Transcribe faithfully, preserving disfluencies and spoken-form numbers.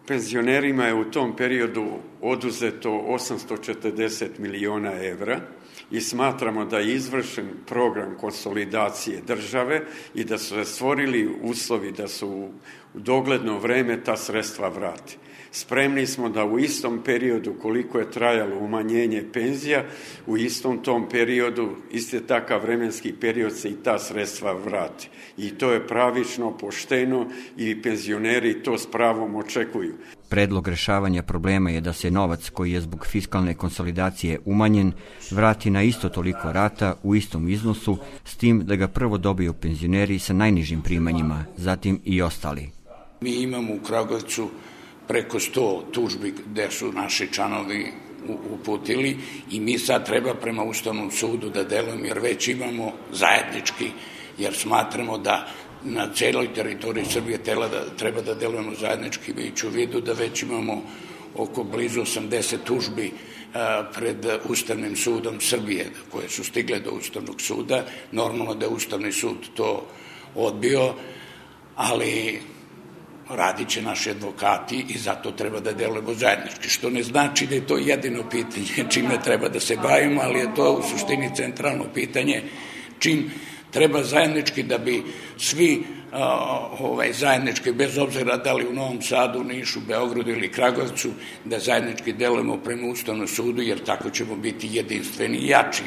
Penzionerima je u tom periodu oduzeto osamsto četrdeset miliona evra i smatramo da je izvršen program konsolidacije države i da su se stvorili uslovi da su u dogledno vreme ta sredstva vrati. Spremni smo da u istom periodu koliko je trajalo umanjenje penzija, u istom tom periodu, isti takav vremenski period se i ta sredstva vrati. I to je pravično, pošteno i penzioneri to s pravom očekuju. Predlog rešavanja problema je da se novac koji je zbog fiskalne konsolidacije umanjen vrati na isto toliko rata u istom iznosu, s tim da ga prvo dobiju penzioneri sa najnižim primanjima, zatim i ostali. Mi imamo u Kragujevcu preko sto tužbi gde su naši članovi uputili i mi sad treba prema Ustavnom sudu da delujemo, jer već imamo zajednički, jer smatramo da na celoj teritoriji Srbije treba da delujemo zajednički, imajući u vidu da već imamo oko blizu osamdeset tužbi pred Ustavnim sudom Srbije, koje su stigle do Ustavnog suda. Normalno da je Ustavni sud to odbio, ali radit će naši advokati i zato treba da delujemo zajednički, što ne znači da je to jedino pitanje čime treba da se bavimo, ali je to u suštini centralno pitanje čim treba zajednički da bi svi ovaj, zajednički, bez obzira da li u Novom Sadu, Nišu, Beogradu ili Kragujevcu, da zajednički delujemo prema Ustavnom sudu, jer tako ćemo biti jedinstveni i jači.